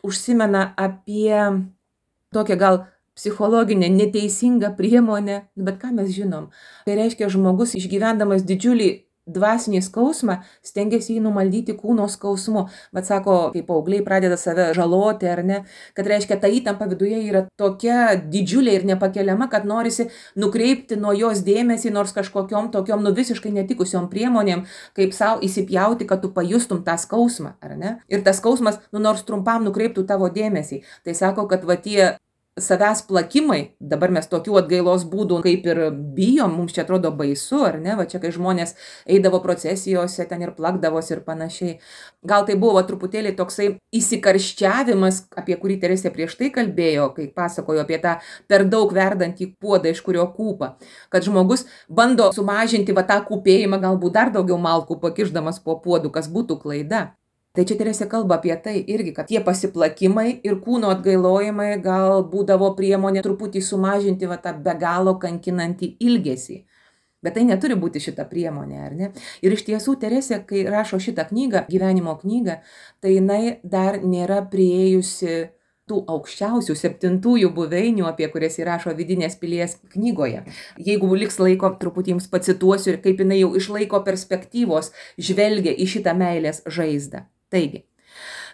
užsimena apie tokią gal psichologinę neteisingą priemonę, bet ką mes žinom. Tai reiškia, žmogus išgyvendamas didžiulį dvasinį skausmą stengiasi jį numaldyti kūno skausmu. Bet sako, kai paaugliai pradeda save žaloti ar ne, kad reiškia, ta įtampa viduje yra tokia didžiulė ir nepakeliama, kad norisi nukreipti nuo jos dėmesį nors kažkokiom tokiom visiškai netikusiom priemonėm, kaip savo įsipjauti, kad tu pajustum tą skausmą, ar ne? Ir tas skausmas, nors trumpam nukreiptų tavo dėmesį. Tai sako, kad va tie savęs plakimai, dabar mes tokių atgailos būdų kaip ir bijom, mums čia atrodo baisu, ar ne, va čia kai žmonės eidavo procesijose ten ir plakdavosi ir panašiai. Gal tai buvo truputėlį toksai įsikarščiavimas, apie kurį Teresė prieš tai kalbėjo, kai pasakojo apie tą per daug verdantį puodą, iš kurio kūpa, kad žmogus bando sumažinti va tą kūpėjimą, galbūt dar daugiau malkų pakišdamas po puodų, kas būtų klaida. Tai čia Teresė kalba apie tai irgi, kad tie pasiplakimai ir kūno atgailojimai gal būdavo priemonė truputį sumažinti va tą be galo kankinantį ilgesį. Bet tai neturi būti šita priemonė, ar ne? Ir iš tiesų Teresė, kai rašo šitą knygą, gyvenimo knygą, tai jinai dar nėra priėjusi tų aukščiausių 7 buveinių, apie kurias įrašo Vidinės pilies knygoje. Jeigu liks laiko, truputį jums pacituosiu ir kaip jinai jau iš laiko perspektyvos žvelgia į šitą meilės žaizdą. Taigi,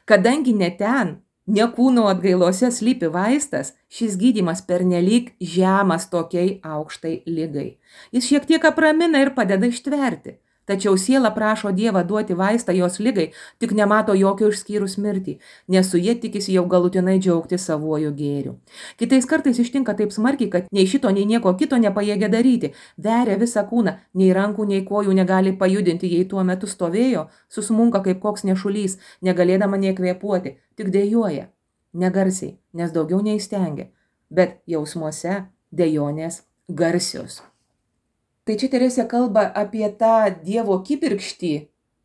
kadangi ne ten, ne kūno atgailose slypi vaistas, šis gydymas pernelyg žemas tokiai aukštai ligai. Jis šiek tiek apramina ir padeda ištverti. Tačiau siela prašo Dievą duoti vaistą jos ligai, tik nemato jokio išskyrus mirtį, nes su jie tikisi jau galutinai džiaugti savuoju gėriu. Kitais kartais ištinka taip smarkiai, kad nei šito, nei nieko kito nepajėgia daryti. Veria visą kūną, nei rankų, nei kojų negali pajudinti, jei tuo metu stovėjo, susmunka kaip koks nešulys, negalėdama nei kvėpuoti, tik dejuoja. Negarsiai, nes daugiau neįstengia, bet jausmuose dejonės garsios. Tai čia Teresė kalba apie tą Dievo kibirkštį,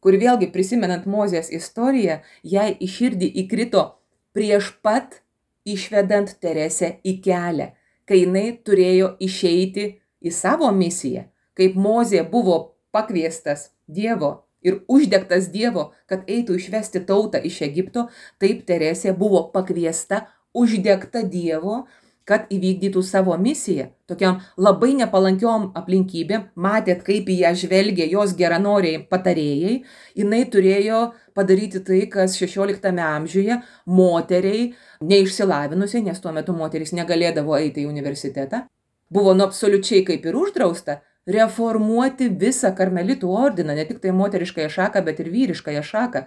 kur vėlgi prisimenant Mozės istoriją, jai į širdį įkrito prieš pat išvedant Teresę į kelią, kai jinai turėjo išeiti į savo misiją, kaip Mozė buvo pakviestas Dievo ir uždegtas Dievo, kad eitų išvesti tautą iš Egipto, taip Teresė buvo pakviesta, uždegta Dievo, kad įvykdytų savo misiją. Tokiam labai nepalankiom aplinkybėm, matėt, kaip į ją žvelgia jos geranoriai patarėjai, jinai turėjo padaryti tai, kas 16 amžiuje moteriai neišsilavinusiai, nes tuo metu moterys negalėdavo eiti į universitetą, buvo absoliučiai kaip ir uždrausta reformuoti visą karmelitų ordiną, ne tik tai moteriškąją šaką, bet ir vyriškąją šaką.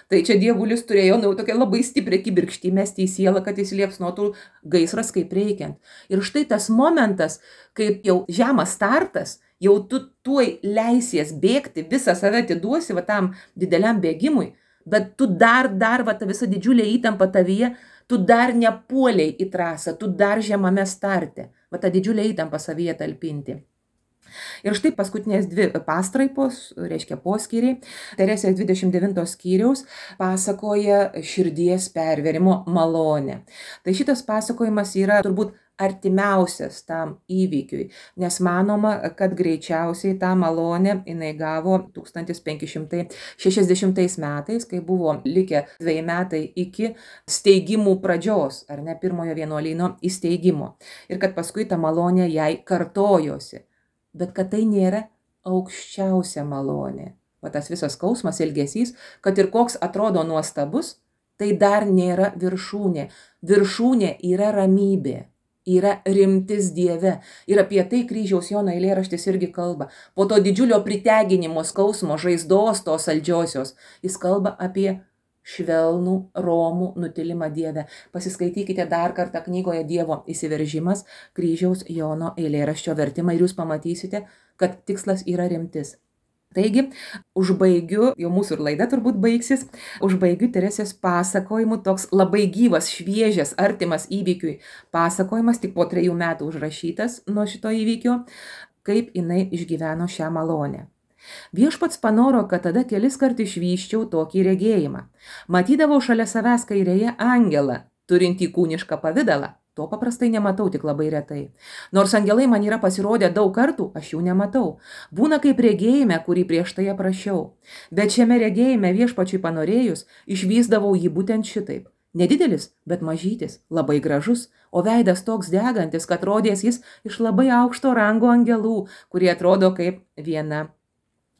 Tai čia dievulis turėjo tokią labai stiprią kibirkštį mesti į sielą, kad įsiliepsnotų gaisras kaip reikiant. Ir štai tas momentas, kai jau žemas startas, jau tu tuoj leisies bėgti, visą save atiduosi va tam dideliam bėgimui, bet tu dar va ta visa didžiulė įtampa tavyje, tu dar nepuoliai į trasą, tu dar žemame starte, va ta didžiulė įtampa savyje talpinti. Ir štai paskutinės 2 pastraipos, reiškia poskyriai, Teresės 29 skyriaus pasakoja širdies perverimo malonę. Tai šitas pasakojimas yra turbūt artimiausias tam įvykiui, nes manoma, kad greičiausiai tą malonę jinai gavo 1560 metais, kai buvo likę 2 metai iki steigimų pradžios, ar ne, pirmojo vienuolyno įsteigimo. Ir kad paskui ta malonė jai kartojosi. Bet kad tai nėra aukščiausia malonė. Va tas visas skausmas, ilgesys, kad ir koks atrodo nuostabus, tai dar nėra viršūnė. Viršūnė yra ramybė. yra rimtis Dieve. Ir apie tai Kryžiaus Jono eilėraštis irgi kalba. Po to didžiulio priteginimo, skausmo, žaizdos tos saldžiosios, jis kalba apie švelnų, romų nutilimą Dieve. Pasiskaitykite dar kartą knygoje Dievo įsiveržimas, Kryžiaus Jono eilėraščio vertimą ir jūs pamatysite, kad tikslas yra rimtis. Taigi, užbaigiu, jau mūsų ir laida turbūt baigsis, užbaigiu Teresės pasakojimu, toks labai gyvas, šviežias, artimas įvykiui pasakojimas, tik po 3 metų užrašytas nuo šito įvykio, kaip jinai išgyveno šią malonę. Viešpats panoro, kad tada kelis kart išvyščiau tokį regėjimą. Matydavau šalia savęs kairėje angelą, turintį kūnišką pavidalą. To paprastai nematau, tik labai retai. Nors angelai man yra pasirodę daug kartų, aš jų nematau. Būna kaip regėjime, kurį prieš tai aprašiau. Bet šiame regėjime Viešpačiui panorėjus, išvysdavau jį būtent šitaip. Nedidelis, bet mažytis, labai gražus, o veidas toks degantis, kad rodės jis iš labai aukšto rango angelų, kurie atrodo kaip viena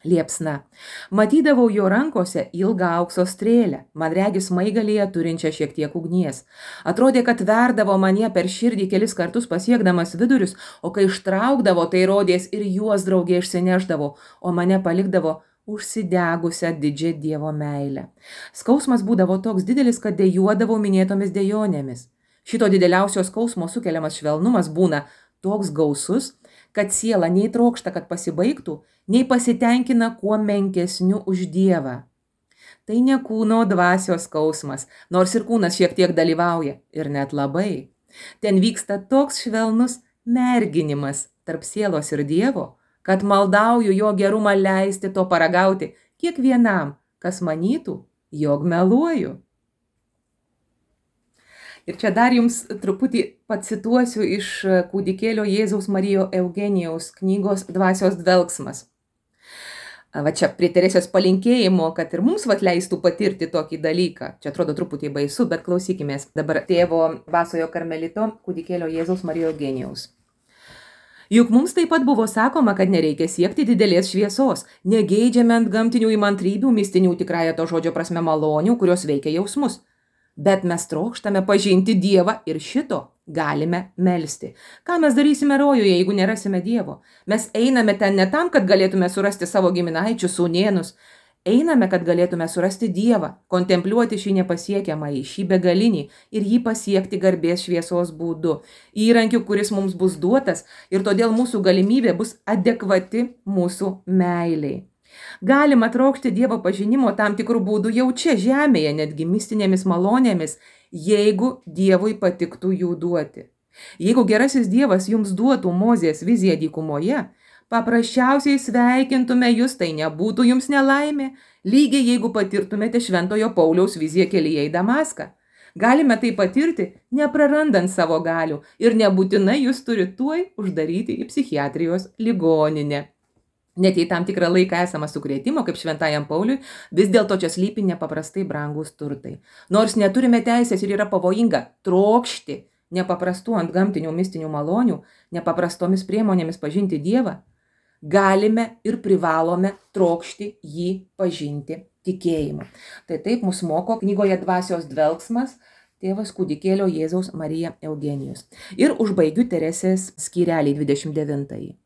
liepsna. Matydavau jo rankose ilgą aukso strėlę, man regis smaigalyje turinčią šiek tiek ugnies. Atrodė, kad verdavo mane per širdį kelis kartus pasiekdamas vidurius, o kai ištraukdavo, tai rodės ir juos draugė išsineždavo, o mane palikdavo užsidegusią didžią Dievo meilę. Skausmas būdavo toks didelis, kad dejuodavau minėtomis dejonėmis. Šito dideliausio skausmo sukeliamas švelnumas būna toks gausus, kad siela nei trokšta, kad pasibaigtų, nei pasitenkina kuo menkesniu už Dievą. Tai ne kūno dvasios skausmas, nors ir kūnas šiek tiek dalyvauja, ir net labai. Ten vyksta toks švelnus merginimas tarp sielos ir Dievo, kad maldauju jo gerumą leisti to paragauti kiekvienam, kas manytų, jog meluoju. Ir čia dar jums truputį pacituosiu iš kūdikėlio Jėzaus Marijo Eugenijaus knygos Dvasios dvelksmas. Va čia prie Teresės palinkėjimo, kad ir mums leistų patirti tokį dalyką. Čia atrodo truputį baisu, bet klausykimės dabar tėvo Vasojo Karmelito kūdikėlio Jėzaus Marijo Eugenijaus. Juk mums taip pat buvo sakoma, kad nereikia siekti didelės šviesos, negeidžiame ant gamtinių įmantrybių, mistinių tikrąją to žodžio prasme malonių, kurios veikia jausmus. Bet mes trokštame pažinti Dievą ir šito galime melsti. Ką mes darysime rojuje, jeigu nerasime Dievo? Mes einame ten ne tam, kad galėtume surasti savo giminaičius, sūnėnus. Einame, kad galėtume surasti Dievą, kontempliuoti šį nepasiekiamąjį, šį begalinį ir jį pasiekti garbės šviesos būdu. Įrankiu, kuris mums bus duotas ir todėl mūsų galimybė bus adekvati mūsų meiliai. Galima trokšti Dievo pažinimo tam tikrų būdų jau čia žemėje, netgi mistinėmis malonėmis, jeigu Dievui patiktų jų duoti. Jeigu gerasis Dievas jums duotų Mozės viziją dykumoje, paprasčiausiai sveikintume jūs, tai nebūtų jums nelaimė, lygiai jeigu patirtumėte Šventojo Pauliaus viziją kelyje į Damaską. Galime tai patirti, neprarandant savo galių ir nebūtinai jūs turite tuoj uždaryti į psichiatrijos ligoninę. Net jei tam tikrą laiką esama sukrėtimo, kaip Šventajam Pauliui, vis dėlto čia slypi nepaprastai brangus turtai. Nors neturime teisės ir yra pavojinga trokšti nepaprastų antgamtinių mistinių malonių, nepaprastomis priemonėmis pažinti Dievą, galime ir privalome trokšti jį pažinti tikėjimu. Tai taip mus moko knygoje Dvasios dvelksmas tėvas kūdikėlio Jėzaus Marija Eugenijus. Ir užbaigiu Teresės skyrelį 29.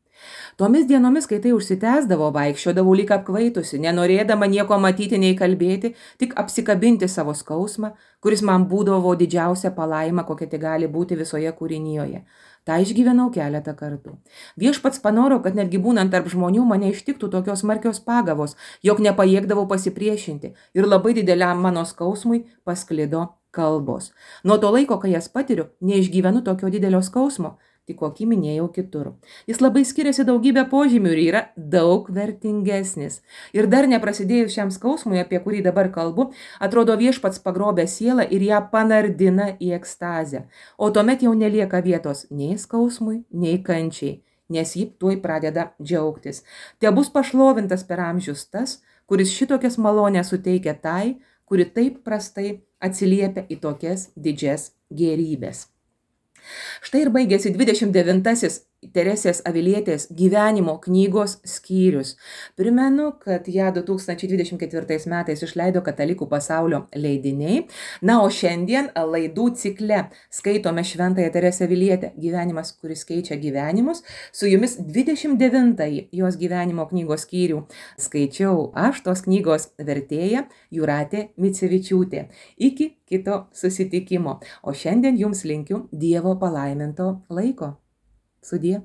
Tomis dienomis, kai tai užsitęsdavo, vaikščiodavau lyg apkvaitusi, nenorėdama nieko matyti nei kalbėti, tik apsikabinti savo skausmą, kuris man būdavo didžiausia palaima, kokia tai gali būti visoje kūrinijoje. Ta išgyvenau keletą kartų. Viešpats panoro, kad netgi būnant tarp žmonių mane ištiktų tokios smarkios pagavos, jog nepajėgdavau pasipriešinti ir labai dideliam mano skausmui pasklido kalbos. Nuo to laiko, kai jas patiriu, neišgyvenu tokio didelio skausmo, tik kokį minėjau kitur. Jis labai skiriasi daugybę požymių ir yra daug vertingesnis. Ir dar neprasidėjus šiam skausmui, apie kurį dabar kalbu, atrodo Viešpats pagrobia sielą ir ją panardina į ekstazę. O tuomet jau nelieka vietos nei skausmui, nei kančiai, nes ji tuoj pradeda džiaugtis. Te bus pašlovintas per amžius tas, kuris šitokias malonės suteikia tai, kuri taip prastai atsiliepia į tokias didžias gėrybės. Štai ir baigėsi 29 Teresės Avilietės gyvenimo knygos skyrius. Primenu, kad ją 2024 metais išleido Katalikų pasaulio leidiniai. Na, o šiandien laidų cikle skaitome Šventąją Teresę Avilietę gyvenimas, kuris keičia gyvenimus. Su jumis 29-ąjį jos gyvenimo knygos skyrių skaičiau aš, tos knygos vertėja Jūratė Micevičiūtė. Iki kito susitikimo. O šiandien jums linkiu Dievo palaiminto laiko. Sudie.